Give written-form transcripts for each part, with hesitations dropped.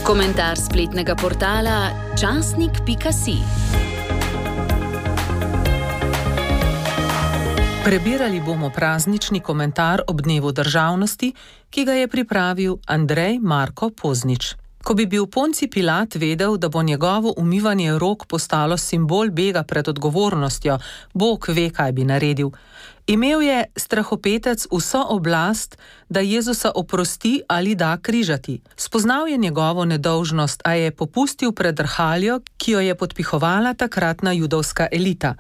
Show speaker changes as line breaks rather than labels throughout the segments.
Komentar spletnega portala časnik.si. Prebirali bomo praznični komentar ob dnevu državnosti, ki ga je pripravil Andrej Marko Poznič. Ko bi bil Ponci Pilat vedel, da bo njegovo umivanje rok postalo simbol bega pred odgovornostjo, Bog ve, kaj bi naredil. Imel je strahopetec vso oblast, da Jezusa oprosti ali da križati. Spoznal je njegovo nedolžnost, a je popustil pred rhaljo, ki jo je podpihovala takratna judovska elita.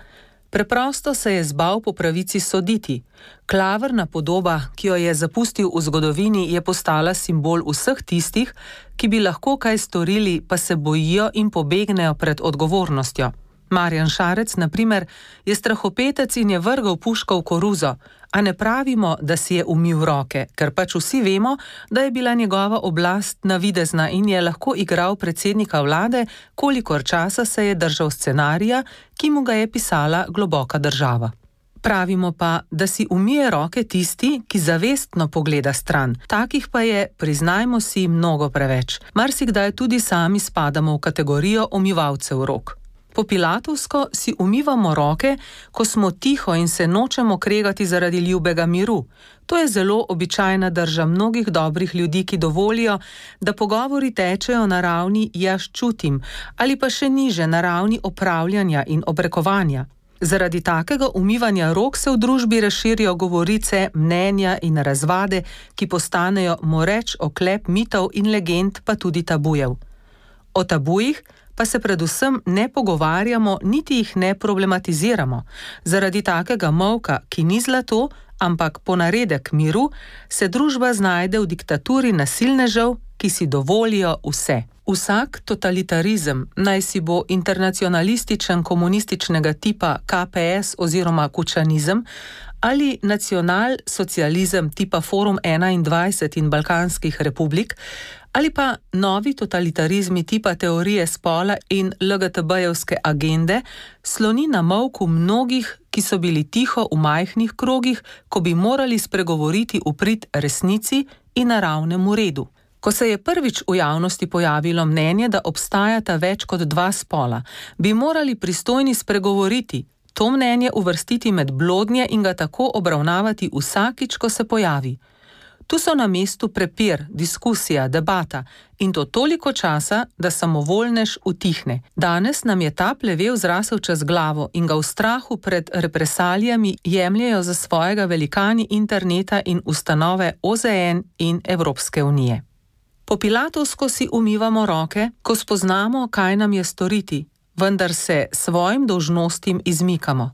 Preprosto se je zbal po pravici soditi. Klavrna podoba, ki jo je zapustil v zgodovini, je postala simbol vseh tistih, ki bi lahko kaj storili, pa se bojijo in pobegnejo pred odgovornostjo. Marjan Šarec, na primer, je strahopetec in je vrgel puško v koruzo, a ne pravimo, da si je umil roke, ker pač vsi vemo, da je bila njegova oblast navidezna in je lahko igral predsednika vlade, kolikor časa se je držal scenarija, ki mu ga je pisala globoka država. Pravimo pa, da si umije roke tisti, ki zavestno pogleda stran. Takih pa je, priznajmo si, mnogo preveč. Marsikdaj tudi sami spadamo v kategorijo umivalcev rok. Po pilatovsko si umivamo roke, ko smo tiho in se nočemo kregati zaradi ljubega miru. To je zelo običajna drža mnogih dobrih ljudi, ki dovolijo, da pogovori tečejo na ravni jaz čutim ali pa še niže na ravni opravljanja in obrekovanja. Zaradi takega umivanja rok se v družbi razširijo govorice, mnenja in razvade, ki postanejo moreč oklep mitov in legend, pa tudi tabujev. O tabujih pa se predvsem ne pogovarjamo, niti jih ne problematiziramo. Zaradi takega molka, ki ni zlato, ampak ponaredek miru, se družba znajde v diktaturi nasilnežev, ki si dovolijo vse. Vsak totalitarizem, naj si bo internacionalističen komunističnega tipa KPS oziroma kučanizem, ali nacionalsocializem tipa Forum 21 in Balkanskih republik, ali pa novi totalitarizmi tipa teorije spola in LGTB-jevske agende, sloni na molku mnogih, ki so bili tiho v majhnih krogih, ko bi morali spregovoriti v prid resnici in naravnemu redu. Ko se je prvič v javnosti pojavilo mnenje, da obstajata več kot dva spola, bi morali pristojni spregovoriti, to mnenje uvrstiti med blodnje in ga tako obravnavati vsakič, ko se pojavi. Tu so na mestu prepir, diskusija, debata in to toliko časa, da samovoljnež utihne. Danes nam je ta plevel zrasel čez glavo in ga v strahu pred represalijami jemljejo za svojega velikani interneta in ustanove OZN in Evropske unije. Po pilatovsko si umivamo roke, ko spoznamo, kaj nam je storiti, vendar se svojim dolžnostim izmikamo.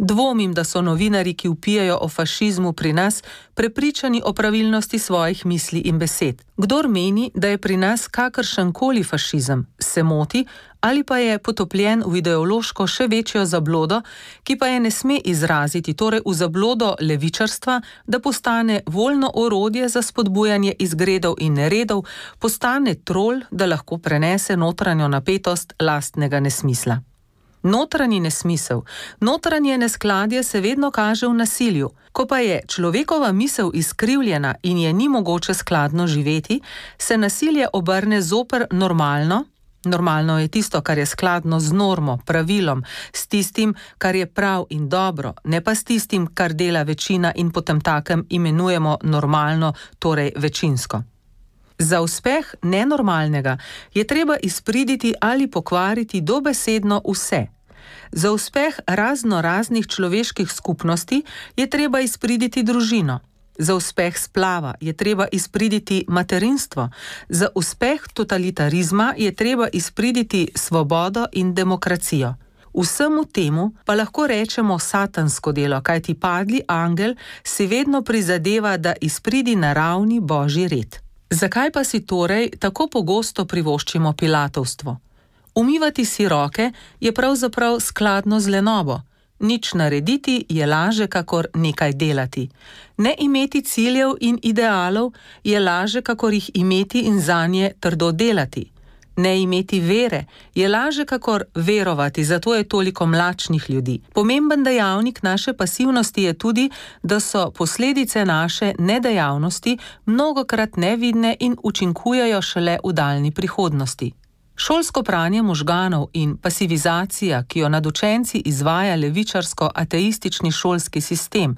Dvomim, da so novinarji, ki vpijajo o fašizmu pri nas, prepričani o pravilnosti svojih misli in besed. Kdor meni, da je pri nas kakršenkoli fašizem, se moti ali pa je potopljen v ideološko še večjo zablodo, ki pa je ne sme izraziti, torej v zablodo levičarstva, da postane voljno orodje za spodbujanje izgredov in neredov, postane trol, da lahko prenese notranjo napetost lastnega nesmisla. Notranji nesmisel, notranje neskladje se vedno kaže v nasilju. Ko pa je človekova misel izkrivljena in je ni mogoče skladno živeti, se nasilje obrne zoper normalno. Normalno je tisto, kar je skladno z normo, pravilom, s tistim, kar je prav in dobro, ne pa s tistim, kar dela večina in potemtakem imenujemo normalno, torej večinsko. Za uspeh nenormalnega je treba izpriditi ali pokvariti dobesedno vse. Za uspeh raznih človeških skupnosti je treba izpriditi družino. Za uspeh splava je treba izpriditi materinstvo. Za uspeh totalitarizma je treba izpriditi svobodo in demokracijo. Vsemu temu pa lahko rečemo satansko delo, kajti padli angel si vedno prizadeva, da izpridi naravni božji red. Zakaj pa si torej tako pogosto privoščimo pilatovstvo? Umivati si roke je pravzaprav skladno z lenobo. Nič narediti je laže, kakor nekaj delati. Ne imeti ciljev in idealov je laže, kakor jih imeti in zanje trdo delati. Ne imeti vere je laže kakor verovati, zato je toliko mlačnih ljudi. Pomemben dejavnik naše pasivnosti je tudi, da so posledice naše nedejavnosti mnogokrat nevidne in učinkujejo šele v daljni prihodnosti. Šolsko pranje možganov in pasivizacija, ki jo nad učenci izvaja levičarsko-ateistični šolski sistem,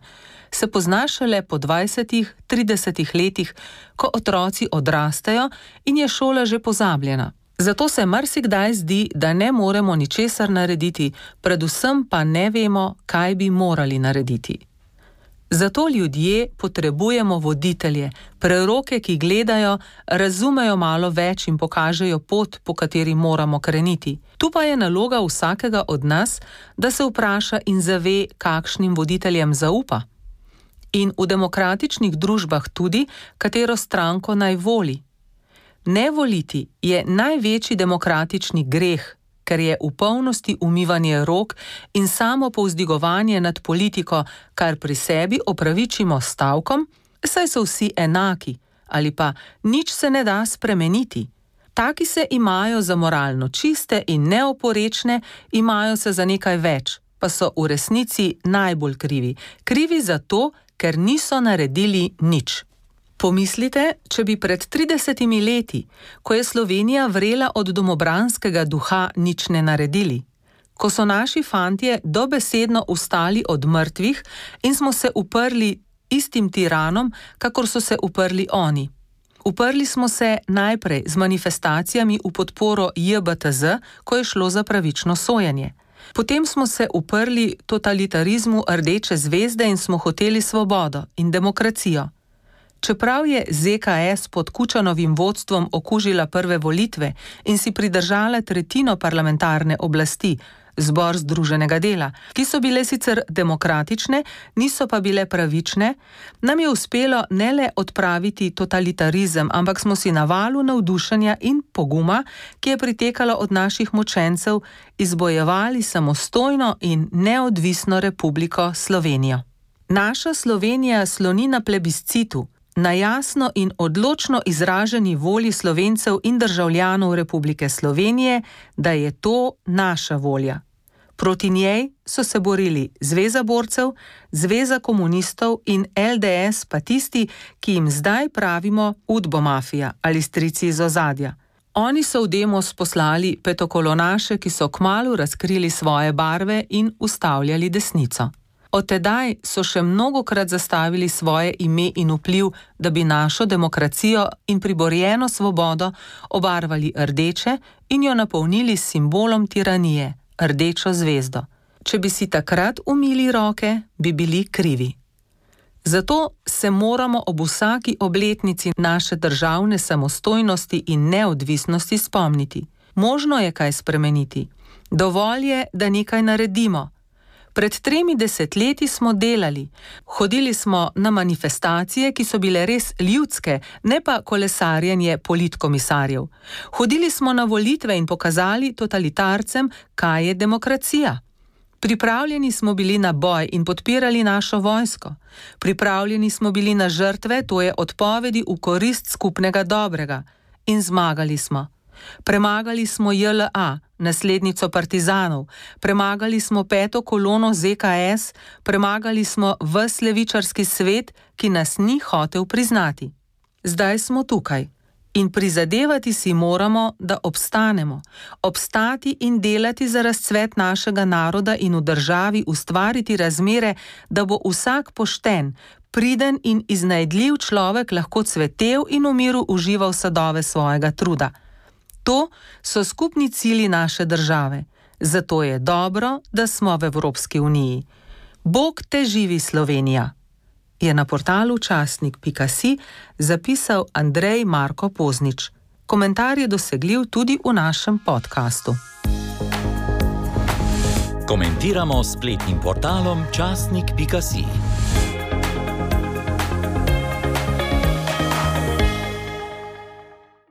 se pozna šele po 20-30 letih, ko otroci odrastejo in je šola že pozabljena. Zato se marsikdaj zdi, da ne moremo ničesar narediti, predvsem pa ne vemo, kaj bi morali narediti. Zato ljudje potrebujemo voditelje, preroke, ki gledajo, razumejo malo več in pokažejo pot, po kateri moramo kreniti. Tu pa je naloga vsakega od nas, da se vpraša in zave, kakšnim voditeljem zaupa. In v demokratičnih družbah tudi, katero stranko naj voli. Ne voliti je največji demokratični greh, ker je v polnosti umivanje rok in samo povzdigovanje nad politiko, kar pri sebi opravičimo s stavkom, saj so vsi enaki, ali pa nič se ne da spremeniti. Taki se imajo za moralno čiste in neoporečne, imajo se za nekaj več, pa so v resnici najbolj krivi. Krivi zato, ker niso naredili nič. Pomislite, če bi pred 30 leti, ko je Slovenija vrela od domobranskega duha, nič ne naredili. Ko so naši fantje dobesedno vstali od mrtvih in smo se uprli istim tiranom, kakor so se uprli oni. Uprli smo se najprej z manifestacijami v podporo JBTZ, ko je šlo za pravično sojenje. Potem smo se uprli totalitarizmu Rdeče zvezde in smo hoteli svobodo in demokracijo. Čeprav je ZKS pod Kučanovim vodstvom okužila prve volitve in si pridržala tretjino parlamentarne oblasti, Zbor združenega dela, ki so bile sicer demokratične, niso pa bile pravične, nam je uspelo ne le odpraviti totalitarizem, ampak smo si na valu navdušenja in poguma, ki je pritekalo od naših močencev, izbojevali samostojno in neodvisno Republiko Slovenijo. Naša Slovenija sloni na plebiscitu, na jasno in odločno izraženi volji Slovencev in državljanov Republike Slovenije, da je to naša volja. Proti njej so se borili Zveza borcev, Zveza komunistov in LDS pa tisti, ki jim zdaj pravimo udbomafija ali strici iz ozadja. Oni so v Demos poslali petokolonaše, ki so kmalu razkrili svoje barve in ustavljali desnico. Od tedaj so še mnogokrat zastavili svoje ime in vpliv, da bi našo demokracijo in priborjeno svobodo obarvali rdeče in jo napolnili s simbolom tiranije, rdečo zvezdo. Če bi si takrat umili roke, bi bili krivi. Zato se moramo ob vsaki obletnici naše državne samostojnosti in neodvisnosti spomniti. Možno je kaj spremeniti. Dovolj je, da nekaj naredimo. Pred 3 desetletji smo delali. Hodili smo na manifestacije, ki so bile res ljudske, ne pa kolesarjenje politkomisarjev. Hodili smo na volitve in pokazali totalitarcem, kaj je demokracija. Pripravljeni smo bili na boj in podpirali našo vojsko. Pripravljeni smo bili na žrtve, to je odpovedi v korist skupnega dobrega. In zmagali smo. Premagali smo JLA, naslednico partizanov, premagali smo 5. kolono ZKS, premagali smo ves levičarski svet, ki nas ni hotel priznati. Zdaj smo tukaj in prizadevati si moramo, da obstanemo, obstati in delati za razcvet našega naroda in v državi ustvariti razmere, da bo vsak pošten, priden in iznajdljiv človek lahko cvetel in v miru užival sadove svojega truda. To so skupni cilji naše države, zato je dobro, da smo v Evropski uniji. Bog te živi, Slovenija, je na portalu časnik.si zapisal Andrej Marko Poznič. Komentar je dosegljiv tudi v našem podkastu.
Komentiramo s spletnim portalom časnik.si.